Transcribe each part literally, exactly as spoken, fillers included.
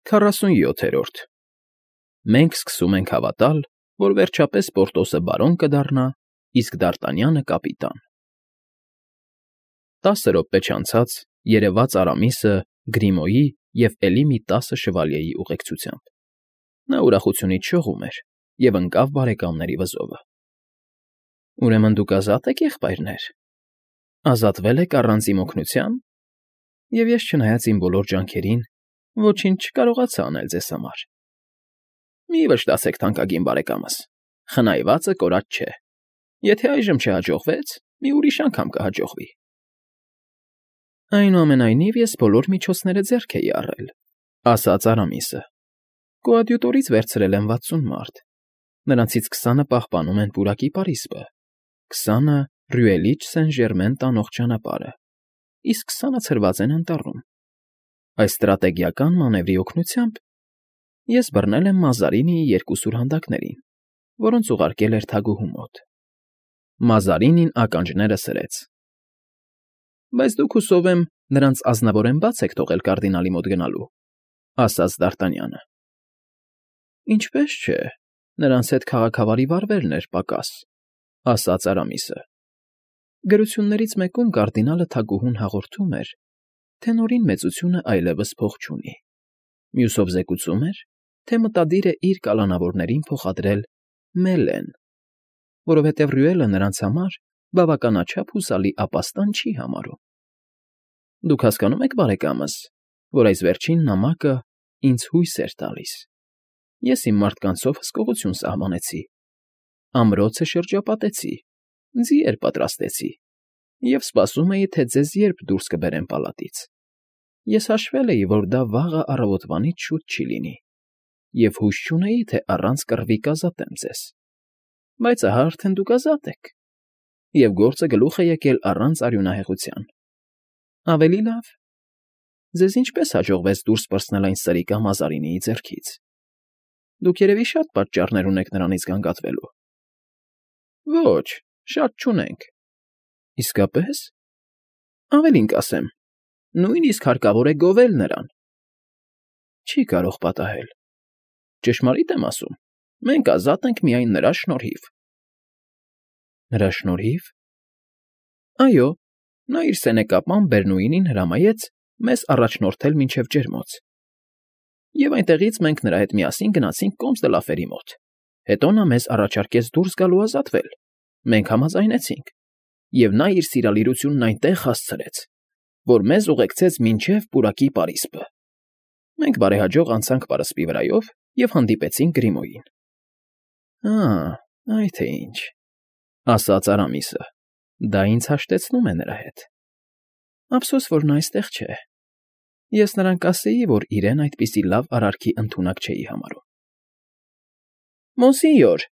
Քառասունյոթերորդ Մենք սկսում ենք հավատալ, որ վերջապես Պորտոսը բարոն կդառնա, իսկ Դարտանյանը կապիտան։ Տասը րոպե չանցած երևաց Արամիսը Գրիմոյի և էլի մի տասը շվալյեի ուղեկցությամբ. նա ուրախությունից շողում էր և ընկավ բարեկամների վզովը։ ֊ Ուրեմն դուք ազատ եք, եղբայրներ, ազատվել եք առանց իմ օգնության, և ես, չնայած իմ բոլոր ջանքերին, ոչինչ չկարողացա անել ձեզ համար։ Մի վշտացեք, թանկագին բարեկամս, խնայվածը կորած չէ, եթե այժմ չհաջողվեց, մի ուրիշ անգամ կհաջողվի։ Այնուամենայնիվ ես բոլոր միջոցները ձեռք էի առել, ասաց Արամիսը. կոադյուտորից վերցրել եմ վաթսուն մարդ, նրանցից քսանը պահպանում են պուրակի պարիսպը, քսանը Ռյուելիչ Սեն Ժերմեն տանող ճանապարհը, իսկ քսանը ցրված են անտառում։ Այս ստրատեգիական մանևրի օգնությամբ ես բռնել եմ Մազարինիի երկու սուրհանդակներին, որոնց ուղարկել էր թագուհու մոտ։ Մազարինին ականջները սրեց։ Բայց դուք, հուսով եմ, նրանց ազնվորեն բաց եք թողել կարդինալի մոտ գնալու, ասաց Դարտանյանը։ Ինչպես չէ, նրանց հետ քաղաքավարի վարվելն էր պակաս, ասաց Արամիսը։ Գրություններից մեկում կարդինալը թագուհուն հաղորդում էր, թե Նորին մեծությունը այլևս փող չունի, մյուսով զեկուցում էր, թե մտադիր է իր կալանավորներին փոխադրել Մելեն, որովհետև Ռյուելը նրանց համար բավականաչափ հուսալի ապաստան չի համարում։ Դուք հասկանում եք, բարեկամս, որ այս վերջին նամակը ինձ հույս էր տալիս։ Ես իմ մարդկանցով հսկողություն սահմանեցի, ամրոցը շրջապատեցի, ձիեր պատրաստեցի և սպասում էի, թե ձեզ երբ դուրս կբերեն պալատից։ Ես հաշվել էի, որ դա վաղը առավոտվանից շուտ չի լինի, և հույս չունեի, թե առանց կռվի կազատեմ ձեզ։ Բայց ահա արդեն դուք ազատ եք, և գործը գլուխ է եկել առանց արյունահեղության։ Ավելի լավ, ձեզ ինչպես հաջողվեց դուրս պրծնել այն սրիկա Մազարինիի ձեռքից։ Դուք երևի շատ պատճառներ ունեք նրանից գանգատվելու։ Ոչ, շատ չունենք։ Իսկապես։ Ավելին կասեմ, նույնիսկ հարկավոր է գովել նրան։ Չի կարող պատահել։ Ճշմարիտ եմ ասում, մենք ազատ ենք միայն նրա շնորհիվ։ Նրա շնորհի՞վ։ Այո, նա իր սենեկապան Բերնուինին հրամայեց մեզ առաջնորդել մինչև ջերմոց, և այնտեղից մենք նրա հետ միասին գնացինք Կոմս դը Լաֆերի մոտ, հետո նա մեզ առաջարկեց դուրս գալ ու ազատվել, մենք համաձայնեցինք, և նա իր սիրալիրությունն այնտեղ հասցրեց, որ մեզ ուղեկցեց մինչև պուրակի պարիսպը։ Մենք բարեհաջող անցանք պարսպի վրայով և հանդիպեցինք Գրիմոյին։ Ա՜, այ թե ինչ, ասաց Արամիսը, դա ինձ հաշտեցնում է նրա հետ։ Ափսոս, որ նա այստեղ չէ։ Ես նրան կասեի, որ իրեն այդպիսի լավ արարքի ընդունակ չէի համարում։ Մոնսինյոր,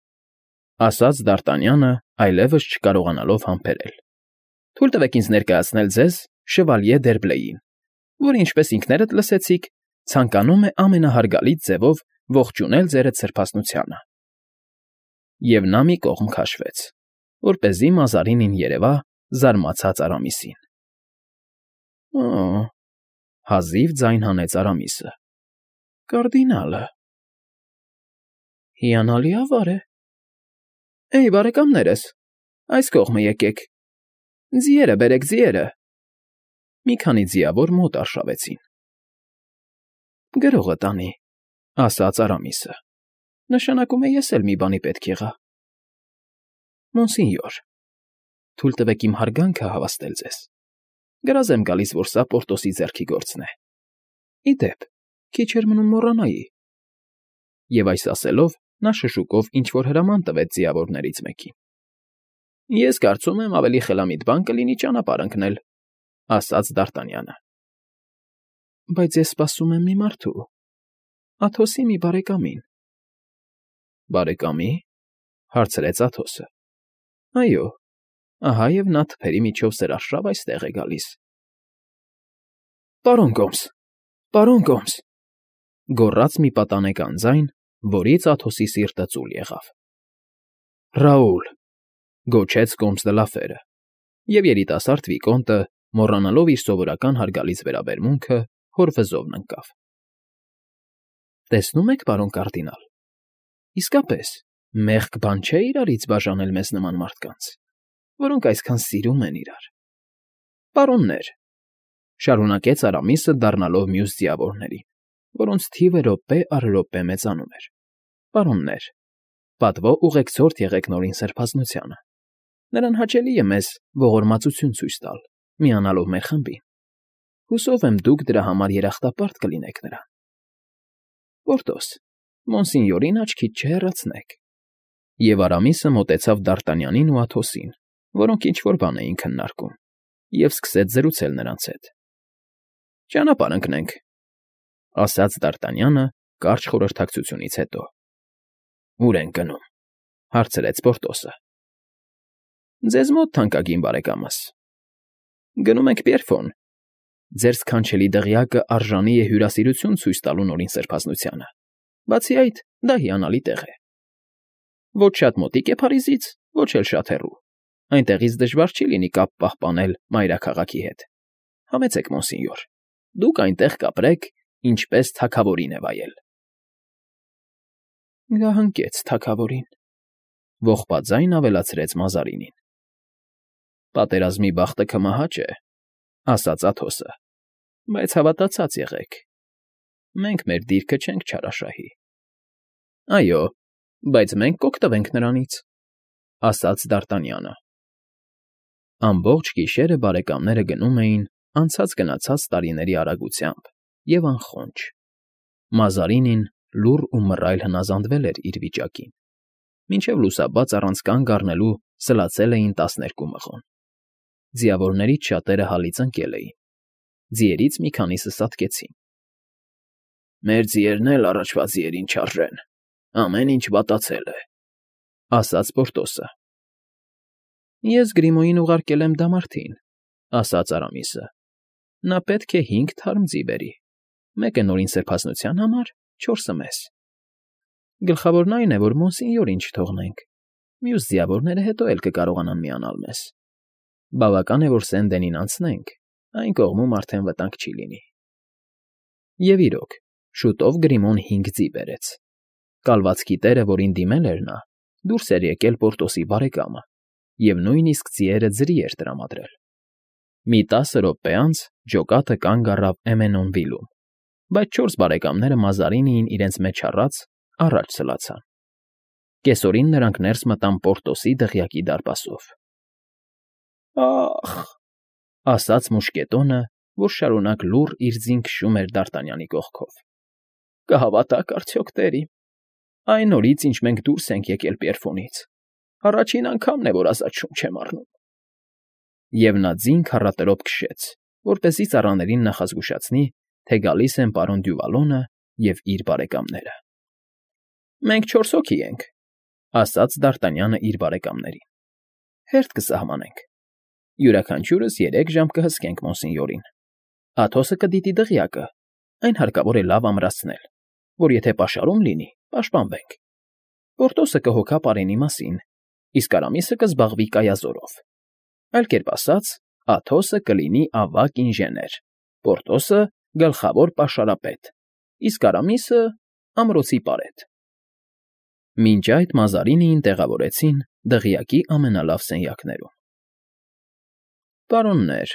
ասաց Դարտանյանը, այլևս չկարողանալով համբերել, թույլ տվեք ինձ ներկայացնել ձեզ Շվալյե Դերբլեին, որ, ինչպես ինքներդ լսեցիք, ցանկանում է ամենահարգալից ձևով ողջունել ձերդ սրբաստնությանը։ Եվ նա մի կողմ քաշվեց, որպեսզի Մազարինին երևա զարմացած Արամիսին։ Օ՜, հազիվ ձայն հանեց Արամիսը։ Կարդինալը… Հիանալի ավար է։ Էյ, բարեկամներս, այս կողմը եկեք, ձիերը բերեք, ձիերը… Մի քանի ձիավոր մոտ արշավեցին։ Գրողը տանի, ասաց Արամիսը, նշանակում է ես էլ մի բանի պետք եղա։ Մոնսինյոր, թույլ տվեք իմ հարգանքը հավաստել ձեզ, գրազ եմ գալիս, որ սա Պորտոսի ձեռքի գործն է։ Ի դեպ, քիչ էր մնում մոռանայի։ Եվ այս ասելով, նա շշուկով ինչ֊որ հրաման տվեց ձիավորներից մեկին։ Ես կարծում եմ, ավելի խելամիտ բան կլինի ճանապարհ ընկնել, ասաց Դարտանյանը։ Բայց ես սպասում եմ մի մարդու, Աթոսի մի բարեկամին։ Բարեկամի՞, հարցրեց Աթոսը։ Այո, ահա և նա թփերի միջով սրարշավ այստեղ է գալիս։ Պարոն Կոմս, պարոն Կոմս, գոռաց մի պատանեկան ձայն, որից Աթոսի սիրտը ծուլ եղավ։ Ռաուլ, գոչեց Կոմս դը Լաֆերը, և երիտասարդ վիկոնտը, մոռանալով իր սովորական հարգալից վերաբերմունքը, հոր վզովն ընկավ։ Տեսնում եք, պարոն կարդինալ, իսկապես, մեղք բան չէ իրարից բաժանել մեզ նման մարդկանց, որոնք այսքան սիրում են իրար։ Պարոններ, շարունակեց Արամիսը, դառնալով մյուս ձիավորներին, որոնց թիվը րոպե առ րոպե մեծանում էր։ Պարոններ, պատվո ուղեկցորդ եղեք Նորին Սրբազնությանը։ Նրան հաճելի է մեզ ողորմածություն ցույց տալ, միանալով մեր խմբին։ Հուսով եմ դուք դրա համար երախտապարտ կլինեք նրան։ Պորտոս, Մոնսինյորին աչքից չհեռացնեք։ Եվ Արամիսը մոտեցավ Դարտանյանին ու Աթոսին, որոնք ինչ֊որ բան էին քննարկում, և սկսեց զրուցել նրանց հետ։ Ճանապարհ ընկնենք, ասաց Դարտանյանը կարճ խորհրդակցությունից հետո։ Ո՞ւր ենք գնում, հարցրեց Պորտոսը։ Ձեզ մոտ, թանկագին բարեկամս։ Գնում ենք Պիերֆոն։ Ձեր սքանչելի դղյակը արժանի է հյուրասիրություն ցույց տալու Նորին Սրբազնությանը։ Բացի այդ, դա հիանալի տեղ է։ Ոչ շատ մոտիկ է Փարիզից, ոչ էլ շատ հեռու։ Այնտեղից դժվար չի լինի կապ պահպանել մայրաքաղաքի հետ։ Համեցեք, մոնսինյոր, դուք այնտեղ կապրեք, ինչպես թագավորին է վայել։ Գահընկեց թագավորին, ողբաձայն ավելացրեց Մազարինին։ Պատերազմի բախտը կմահաճ է, ասաց Աթոսը, բայց հավատացած եղեք, մենք մեր դիրքը չենք չարաշահի։ Այո, բայց մենք կօգտվենք նրանից, ասաց Դարտանյանը։ Ամբողջ գիշերը բարեկամները գնում էին անցած֊գնացած տարիների արագությամբ և անխոնջ։ Մազարինին լուռ ու մռայլ հնազանդվել էր իր վիճակին։ Մինչև լուսաբաց առանց կանգ առնելու սլացել էին տասներկու մղոն։ Ձիավորներից շատերը հալից ընկել էին։ Ձիերից մի քանիսը սատկեցին։ Մեր ձիերն էլ առաջվա ձիերին չարժեն, ամեն ինչ վատացել է, ասաց Պորտոսը։ Ես Գրիմոյին ուղարկել եմ դամարդին, ասաց Արամիսը։ Նա պետք է հինգ թարմ ձի բերի, մեկը Նորին Սրբազնության համար, չորսը մեզ։ Գլխավորն այն է, որ մոնսինյորին չթողնենք, մյուս ձիավորները հետո էլ կկարողանան միանալ մեզ։ Բավական է, որ Սեն֊Դենին անցնենք, այն կողմում արդեն վտանգ չի լինի։ Եվ իրոք, շուտով Գրիմոն հինգ ձի բերեց։ Կալվածքի տերը, որին դիմել էր նա, դուրս էր եկել Պորտոսի բարեկամը, և նույնիսկ ձիերը ձրի էր տրամադրել։ Մի տասը րոպե անց ջոկատը կանգ առավ Էմենոնվիլում, բայց չորս բարեկամները Մազարինիին իրենց մեջ առած առաջ սլացան։ Կեսօրին նրանք ներս մտան Պորտոսի դղյակի դարպասով։ Ա՜խ, ասաց մուշկետոնը, որ շարունակ լուռ իր ձին քշում էր Դարտանյանի կողքով։ Կհավատաք արդյոք, տերիմ, այն օրից, ինչ մենք դուրս ենք եկել Պիերֆոնից, առաջին անգամն է, որ ազատ շունչ եմ առնում։ Եվ նա ձին քառատրոպ քշեց, որպեսզի ծառաներին նախազգուշացնի, թե գալիս են պարոն Դյուվալոնը և իր բարեկամները։ Մենք չորս հոգի ենք, ասաց Դարտանյանը իր բարեկամներին։ Հերթ կսահմանենք։ Յուրաքանչյուրս երեք ժամ կհսկենք մոնսինյորին։ Աթոսը կդիտի դղյակը, այն հարկավոր է լավ ամրացնել, որ եթե պաշարում լինի, պաշտպանվենք։ Պորտոսը կհոգա պարենի մասին, իսկ Արամիսը կզբաղվի կայազորով։ Այլ կերպ ասած, Աթոսը կլինի ավագ ինժեներ, Պորտոսը գլխավոր պաշարապետ, իսկ Արամիսը ամրոցի պարետ։ Մինչ այդ Մազարինիին տեղավորեցին դղյակի ամենալավ սենյակներում։ Պարոններ,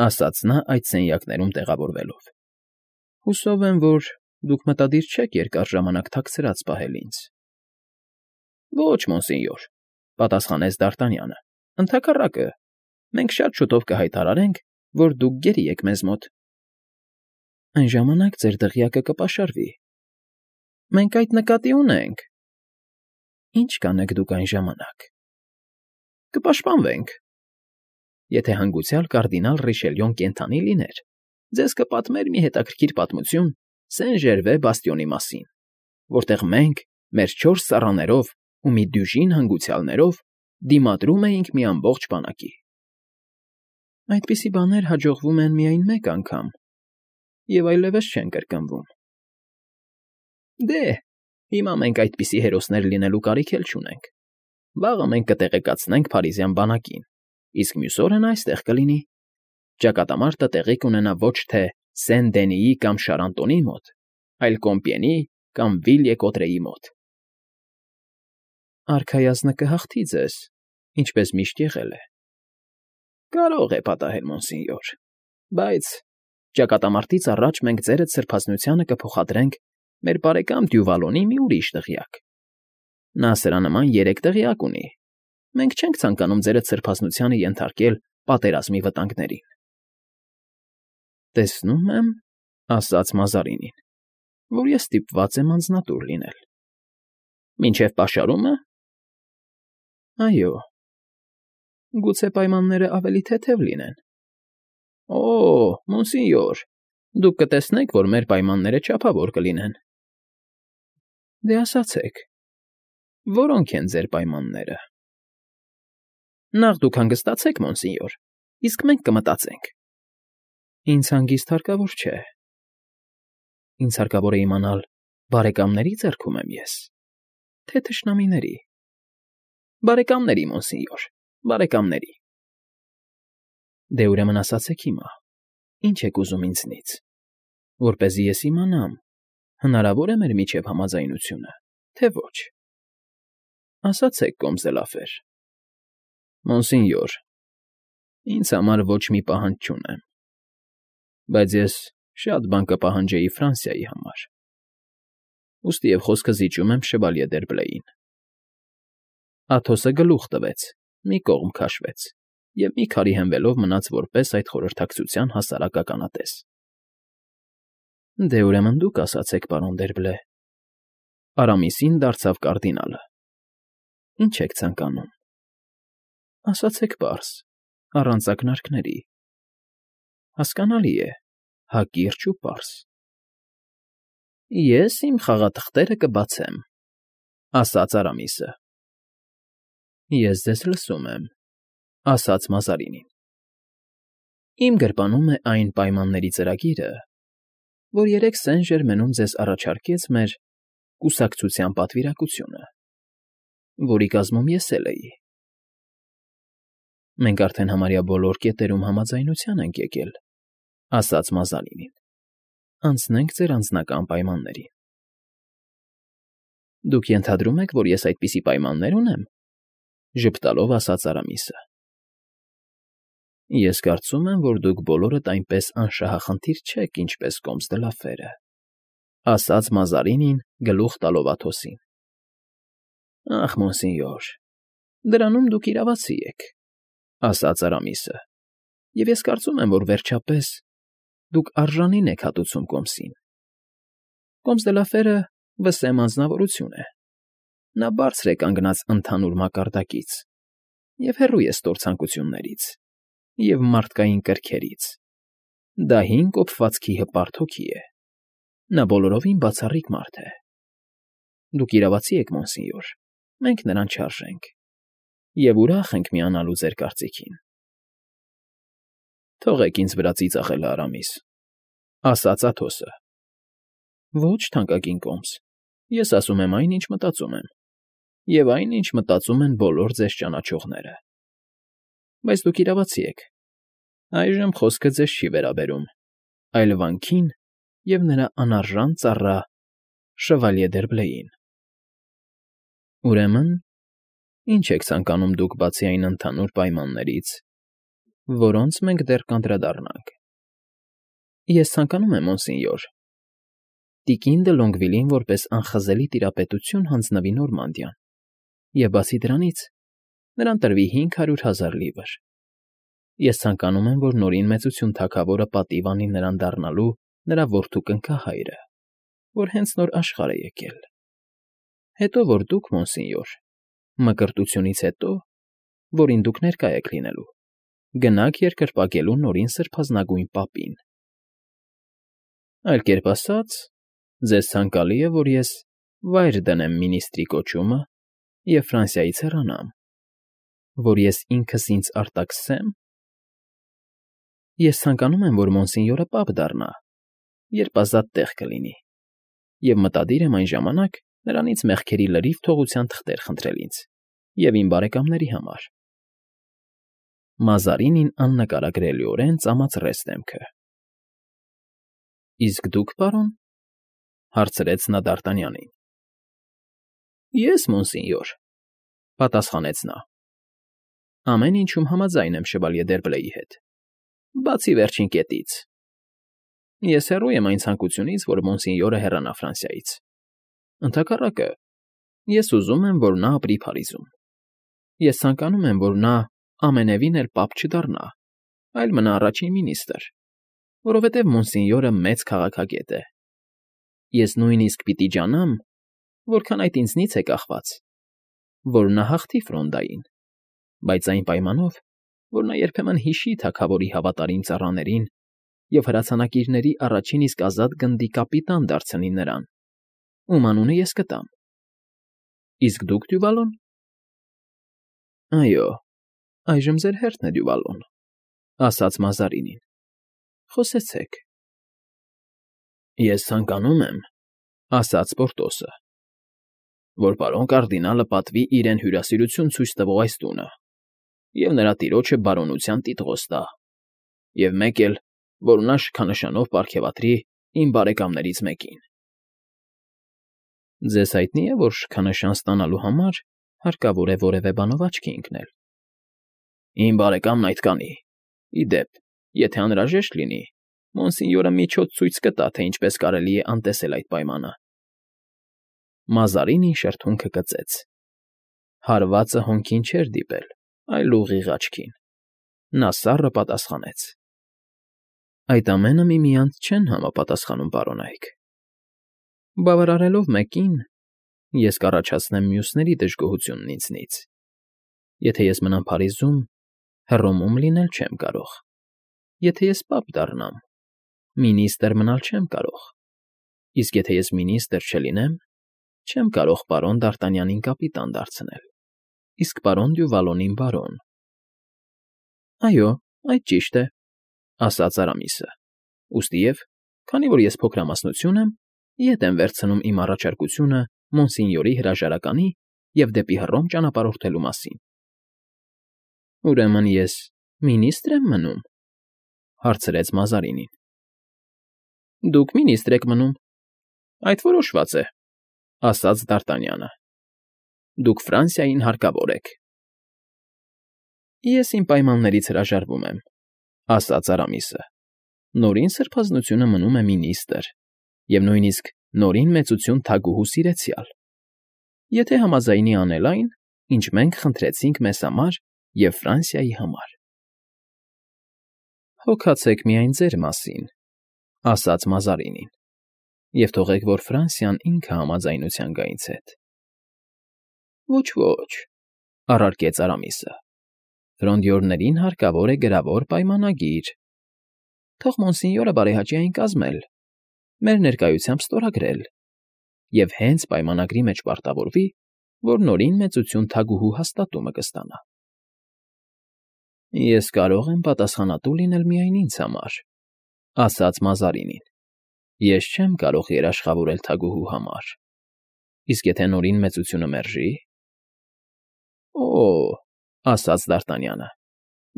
ասաց նա այդ սենյակներում տեղավորվելով, հուսով եմ, որ դուք մտադիր չեք երկար ժամանակ թաքցրած պահել ինձ։ Ոչ, մոնսինյոր, պատասխանեց Դարտանյանը, ընդհակառակը, մենք շատ շուտով կհայտարարենք, որ դուք գերի եք մեզ մոտ։ Այն ժամանակ ձեր դղյակը կպաշարվի։ Մենք այդ նկատի ունենք։ Ինչ կանեք դուք այն ժամանակ։ Կպաշտպանվենք։ Եթե հանգուցյալ կարդինալ Ռիշելյոն կենդանի լիներ, ձեզ կպատմեր մի հետաքրքիր պատմություն Սեն֊Ժերվե բաստիոնի մասին, որտեղ մենք մեր չորս ծառաներով ու մի դյուժին հանգուցյալներով դիմադրում էինք մի ամբողջ բանակի։ Այդպիսի բաներ հաջողվում են միայն մեկ անգամ, և այլևս չեն կրկնվում։ Դե, հիմա մենք այդպիսի հերոսներ լինելու կարիք էլ չունենք։ Վաղը մենք կտեղեկացնենք փարիզյան բանակին, իսկ մյուս օրը նա այստեղ կլինի։ Ճակատամարտը տեղի կունենա ոչ թե Սեն֊Դենիի կամ Շարանտոնի մոտ, այլ Կոմպիենի կամ Վիլյե֊Կոտրեի մոտ։ Արքայազնը կհաղթի ձեզ, ինչպես միշտ եղել է։ Կարող է պատահել, մոնսինյոր, բայց ճակատամարտից առաջ մենք ձերդ սրբազնությանը կփոխադրենք մեր բարեկամ Դյուվալոնի մի ուրիշ դղյակ։ Նա սրա նման երեք դղյակ ունի։ Մենք չենք ցանկանում ձերդ սրբազնությանը ենթարկել պատերազմի վտանգներին։ Տեսնում եմ, ասաց Մազարինին, որ ես ստիպված եմ անձնատուր լինել։ Մինչև պաշարումը։ Այո։ Գուցե պայմանները ավելի թեթև լինեն։ Օ, մոնսինյոր, դուք կտեսնեք, որ մեր պայմանները չափավոր կլինեն։ Դե ասացեք, որո՞նք են ձեր պայմանները։ Նախ դուք հանգստացեք, մոնսինյոր, իսկ մենք կմտածենք։ Ինձ հանգիստ հարկավոր չէ։ Ինձ հարկավոր է իմանալ, բարեկամների ձեռքում եմ ես, թե թշնամիների։ Բարեկամների, մոնսինյոր, բարեկամների։ Դե ուրեմն ասացեք հիմա, ինչ եք ուզում ինձնից, որպեսզի ես իմանամ, հնարավոր է մեր միջև համաձայնությունը, թե ոչ։ Ասացեք, կոմսդելաֆեր։ Մոնսինյոր, ինձ համար ոչ մի պահանջ չունեմ, բայց ես շատ բան կպահանջեի Ֆրանսիայի համար։ Ուստի և խոսքը զիջում եմ Շևալյե Դերբլեին։ Աթոսը գլուխ տվեց, մի կողմ քաշվեց և մի քարի հենվելով մնաց որպես այդ խորհրդակցության հասարակ ականատես։ Դե ուրեմն դուք ասացեք, պարոն Դերբլե։ Արամիսին դարձավ կարդինալը։ Ինչ եք ցանկանում։ Ասացեք պարզ, առանց ակնարկների։ Հասկանալի է, հակիրճ ու պարզ։ Ես իմ խաղաթղթերը կբացեմ, ասաց Արամիսը։ Ես ձեզ լսում եմ, ասաց Մազարինին։ Իմ գրպանում է այն պայմանների ծրագիրը, որ երեք Սեն֊Ժերմենում ձեզ առաջարկեց մեր կուսակցության պատվիրակությունը, որի կազմում ես էլ էի։ Մենք արդեն համարյա բոլոր կետերում համաձայնության ենք եկել, ասաց Մազարինին։ Անցնենք ձեր անձնական պայմաններին։ Դուք ենթադրում եք, որ ես այդպիսի պայմաններ ունեմ, ժպտալով ասաց Արամիսը։ Ես կարծում եմ, որ դուք բոլորդ այնպես անշահախնդիր չեք, ինչպես կոմսդելաֆերը, ասաց Մազարինին գլուխ տալով Աթոսին։ Ախ, մոնսինյոր, դրանում դուք իրավացի եք, ասաց Արամիսը, և ես կարծում եմ, որ վերջապես դուք արժանին եք հատուցում կոմսին։ Կոմսդելաֆերը վսեմ անձնավորություն է։ Նա բարձր է կանգնած ընդհանուր մակարդակից և հեռու է ստորցանկություններից և մարդկային կրքերից։ Դա հին կոփվածքի հպարտ հոգի է։ Նա բոլորովին բացառիկ մարդ է։ Դուք իրավացի եք, մոնսինյոր, մենք նրան չարժենք և ուրախ ենք միանալու ձեր կարծիքին։ Թողեք ինձ վրա ծիծաղելը, Արամիս, ասաց Աթոսը։ Ոչ, թանկագին կոմս, ես ասում եմ այն, ինչ մտածում եմ, և այն, ինչ մտածում են բոլոր ձեզ ճանաչողները։ Բայց դուք իրավացի եք։ Այժմ խոսքը ձեզ չի վերաբերում, այլ վանքին և նրա անարժան ծառա Շևալյե Դերբլեին։ Ուրեմն, ինչ եք ցանկանում դուք բացի այն ընդհանուր պայմաններից, որոնց մենք դեռ կանդրադառնանք։ Ես ցանկանում եմ, մոնսինյոր, տիկին դը Լոնգվիլին որպես անխզելի տիրապետություն հանձնվի Նորմանդիան, և բացի դրանից նրան տրվի հինգ հարյուր հազար լիվր։ Ես ցանկանում եմ, որ Նորին Մեծություն թագավորը պատիվ անի նրան դառնալու նրա որդու կնքահայրը, որ հենց նոր աշխարհ է եկել։ Հետո որ դուք, մոնսինյոր, մկրտությունից հետո, որին դուք ներկա եք լինելու, գնաք երկրպագելու Նորին սրբազնագույն պապին։ Այլ կերպ ասած, ձեզ ցանկալի է, որ ես վայր դնեմ մինիստրի կոչումը և Ֆրանսիայից հեռանամ, որ ես ինքս ինձ արտաքսեմ։ Ես ցանկանում եմ, որ մոնսինյորը պապ դառնա, երբ ազատ տեղ կլինի, և մտադիր եմ այն ժամանակ նրանից մեղքերի լրիվ թողության թղթեր խնդրել ինձ և իմ բարեկամների համար։ Մազարինին աննկարագրելիորեն ծամացրեց դեմքը։ Իսկ դուք, պարոն, հարցրեց նա Դարտանյանին։ Ես, մոնսինյոր, պատասխանեց նա։ Ամեն ինչում համաձայն եմ Շևալյե Դերբլեի հետ, բացի վերջին կետից։ Ես հեռու եմ այն ցանկությունից, որ մոնսինյորը հեռանա Ֆրանսիայից։ Ընդհակառակը, ես ուզում եմ, որ նա ապրի Փարիզում։ Ես ցանկանում եմ, որ նա ամենևին էլ պապ չդառնա, այլ մնա առաջին մինիստրը, որովհետև մոնսինյորը մեծ քաղաքագետ է։ Ես նույնիսկ պիտի ջանամ, որքան այդ ինձնից է կախված, որ նա հաղթի Ֆրոնդային, բայց այն պայմանով, որ նա երբեմն հիշի թագավորի հավատարիմ ծառաներին և հրացանակիրների առաջին իսկ ազատ գնդի կապիտան դարձնի նրան, ում անունը ես կտամ։ Իսկ դուք, Դյուվալոն։ Այո, այժմ ձեր հերթն է, Դյուվալոն, ասաց Մազարինին։ Խոսեցեք։ Ես ցանկանում եմ, ասաց Պորտոսը, որ պարոն կարդինալը պատվի իրեն հյուրասիրություն ցույց տվող այս տունը և նրա տիրոջը բարօնության տիտղոս տա, և մեկ էլ, որ նա շքանշանով պարգևատրի իմ բարեկամներից մեկին։ Ձեզ հայտնի է, որ շքանշան ստանալու համար հարկավոր է որևէ բանով աչքի ընկնել։ Իմ բարեկամն այդ կանի։ Ի դեպ, եթե անհրաժեշտ լինի, մոնսինյորը միջոց ցույց կտա, թե ինչպես կարելի է անտեսել այդ պայմանը։ Մազարինին շրթունքը կծեց։ Հարվածը հոնքին չէր դիպել, այլ ուղիղ աչքին։ Նա սառը պատասխանեց. Այդ ամենը միմյանց չեն համապատասխանում, պարոնայք։ Բավարարելով մեկին, ես կառաջացնեմ մյուսների դժգոհությունն ինձնից։ Եթե ես մնամ Փարիզում, Հռոմում լինել չեմ կարող։ Եթե ես պապ դառնամ, մինիստրը մնալ չեմ կարող։ Իսկ եթե ես մինիստր չլինեմ, չեմ կարող պարոն Դարտանյանին կապիտան դարձնել, իսկ պարոն Դյուվալոնին բարոն։ Այո, այդ ճիշտ է, ասաց Արամիսը։ Ուստիև, քանի որ ես փոքրամասնություն եմ, ետ եմ վերցնում իմ առաջարկությունը մոնսինյորի հրաժարականի և դեպի Հռոմ ճանապարհորդելու մասին։ Ուրեմն ես մինիստր եմ մնում, հարցրեց Մազարինին։ Դուք մինիստր եք մնում, այդ որոշված է, ասաց Դարտանյանը։ Դուք Ֆրանսիային հարկավոր եք։ Ես իմ պայմաններից հրաժարվում եմ, ասաց Արամիսը։ Նորին սրբազնությունը մնում է մինիստր և նույնիսկ նորին մեծություն թագուհու սիրեցյալ, եթե համաձայնի անել այն, ինչ մենք խնդրեցինք մեզ համար և Ֆրանսիայի համար։ Հոգացեք միայն ձեր մասին, ասաց Մազարինին, և թողեք, որ Ֆրանսիան ինքը համաձայնության գա ինձ հետ։ Ոչ, ոչ, առարկեց Արամիսը, Ֆրոնդյորներին հարկավոր է գրավոր պայմանագիր։ Թող մոնսինյորը բարեհաճի այն կազմել, մեր ներկայությամբ ստորագրել, և հենց պայմանագրի մեջ պարտավորվի, որ նորին մեծություն թագուհու հաստատումը կստանա։ Ես կարող եմ պատասխանատու լինել միայն ինձ համար, ասաց Մազարինին։ Ես չեմ կարող երաշխավորել թագուհու համար։ Իսկ եթե նորին մեծությունը մերժի։ Օ՜, ասաց Դարտանյանը,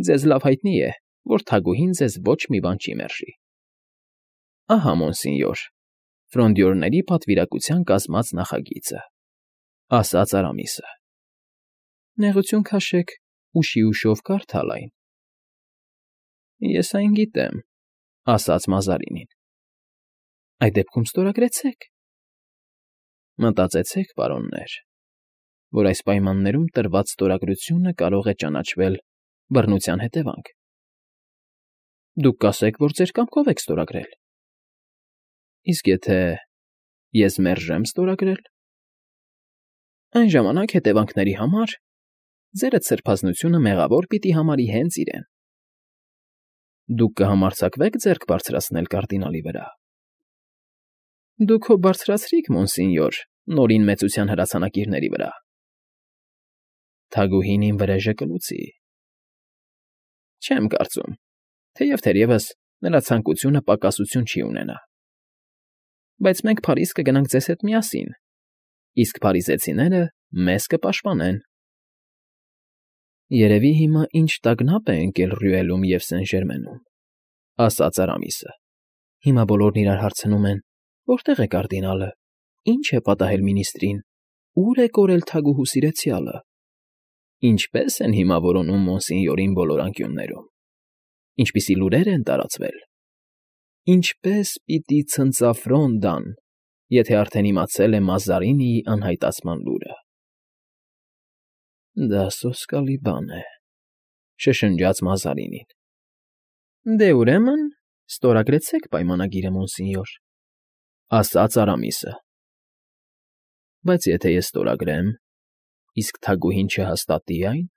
ձեզ լավ հայտնի է, որ թագուհին ձեզ ոչ մի բան չի մերժի։ Ահա, մոնսինյոր, Ֆրոնդյորների պատվիրակության կազմած նախագիծը, ասաց Արամիսը։ Նեղություն քաշեք, ուշի ուշով կարդալ այն։ Ես այն գիտեմ, ասաց Մազարինին։ Այդ դեպքում ստորագրեցեք։ Մտածեցեք, պարոններ, որ այս պայմաններում տրված ստորագրությունը կարող է ճանաչվել բռնության հետևանք։ Դուք կասեք, որ ձեր կամքով եք ստորագրել։ Իսկ եթե ես մերժեմ ստորագրել։ Այն ժամանակ հետևանքների համար ձերդ սրբազնությունը մեղավոր պիտի համարի հենց իրեն։ Դուք կհամարձակվեք ձեռք բարձրացնել կարդինալի վրա։ Դուք հո բարձրացրիք, մոնսինյոր, նորին մեծության հրացանակիրների վրա։ Թագուհին իմ վրեժը կլուծի։ Չեմ կարծում, թեև թերևս նրա ցանկությունը պակասություն չի ունենա։ Բայց մենք Փարիզ կգնանք ձեզ հետ միասին, իսկ փարիզեցիները մեզ կպաշտպանեն։ Երևի հիմա ինչ տագնապ է ընկել Ռյուելում և Սեն֊Ժերմենում, ասաց Արամիսը։ Հիմա բոլորն իրար հարցնում են, Որտե՞ղ է կարդինալը, ի՞նչ է պատահել մինիստրին, ո՞ւր է կորել թագուհու սիրեցյալը, ինչպե՞ս են հիմա որոնում Մոնսինյորին բոլոր անկյուններում, ինչպիսի լուրեր են տարածվել, ինչպե՞ս պիտի ցնծաֆրոն դան, եթե արդեն իմացել է Մազարինիի անհայտացման լուրը։ ֊ Դա սոսկալի բան է,֊ շշնջաց Մազարինին։ ֊ Դե, ուրեմն, ստորագրեցեք պայմանագիրը, մոնսինյոր,֊ ասաց Արամիսը։ ֊ Բայց եթե ես ստորագրեմ, իսկ թագուհին չհաստատի այն… ֊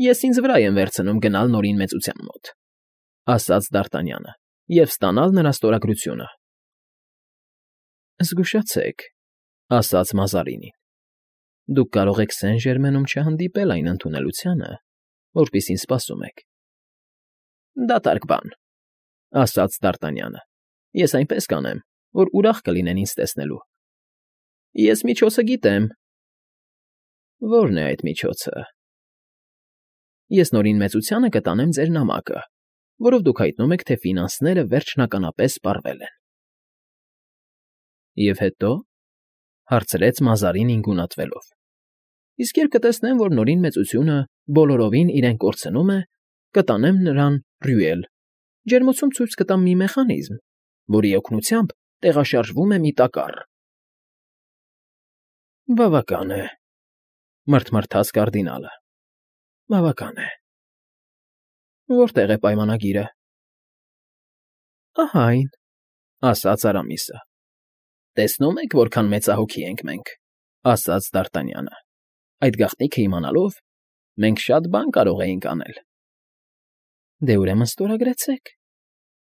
Ես ինձ վրա եմ վերցնում գնալ Նորին մեծության մոտ,֊ ասաց Դ'Արտանյանը,֊ և ստանալ նրա ստորագրությունը։ ֊ Զգուշացեք,֊ ասաց Մազարինին,֊ դուք կարող եք Սեն֊Ժերմենում չհանդիպել այն ընդունելությանը, որպիսին սպասում եք։ ֊ Դատարկ բան,֊ ասաց Դ'Արտանյանը,֊ ես այնպես կանեմ, որ ուրախ կլինեն ինձ տեսնելու։ ֊ Ես միջոցը գիտեմ։ ֊ Ո՞րն է այդ միջոցը։ ֊ Ես Նորին մեծությանը կտանեմ ձեր նամակը, որով դուք հայտնում եք, թե ֆինանսները վերջնականապես սպառվել են։ ֊ Եվ հետո,֊ հարցրեց Մազարինին գունատվելով,֊ իսկ երբ կտեսնեմ, որ Նորին մեծությունը բոլորովին իրեն կորցնում է, կտանեմ նրան Ռյուել, ջերմոցում ցույց կտամ մի մեխանիզմ, որի օգնությամբ տեղաշարժվում է մի տակառ։ ֊ Բավական է,֊ մռթմռթաց կարդինալը,֊ բավական է… Որտե՞ղ է պայմանագիրը։ ֊ Ահա այն,֊ ասաց Արամիսը։ ֊ Տեսնում եք, որքան մեծահոգի ենք մենք,֊ ասաց Դ'Արտանյանը։ Այդ գաղտնիքը իմանալով, մենք շատ բան կարող էինք անել։ ֊ Դե, ուրեմն ստորագրեցեք,֊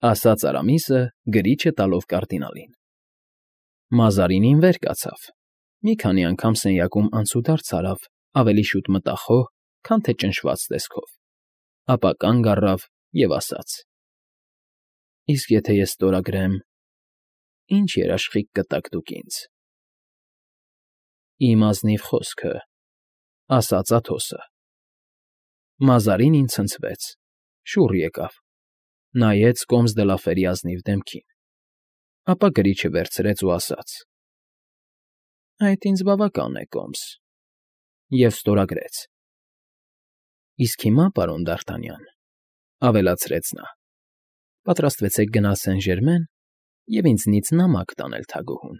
ասաց Արամիսը, գրիչը տալով կարդինալին։ Մազարինին վեր կացավ, մի քանի անգամ սենյակում անցուդարձ արավ ավելի շուտ մտախոհ, քան թե ճնշված տեսքով, ապա կանգ առավ և ասաց. «Իսկ եթե ես ստորագրեմ, ի՞նչ երաշխիք կտաք դուք ինձ»։ ֊ Իմ ազնիվ խոսքը,֊ ասաց Աթոսը։ Մազարինին ցնցվեց, շուռ եկավ, նայեց կոմս դը Լաֆերի ազնիվ դեմքին, ապա գրիչը վերցրեց ու ասաց. «Այդ ինձ բավական է, կոմս», և ստորագրեց։ ֊ Իսկ հիմա, պարոն Դ'Արտանյան,֊ ավելացրեց նա,֊ պատրաստվեցեք գնալ Սեն֊Ժերմեն և ինձնից նամակ տանել թագուհուն։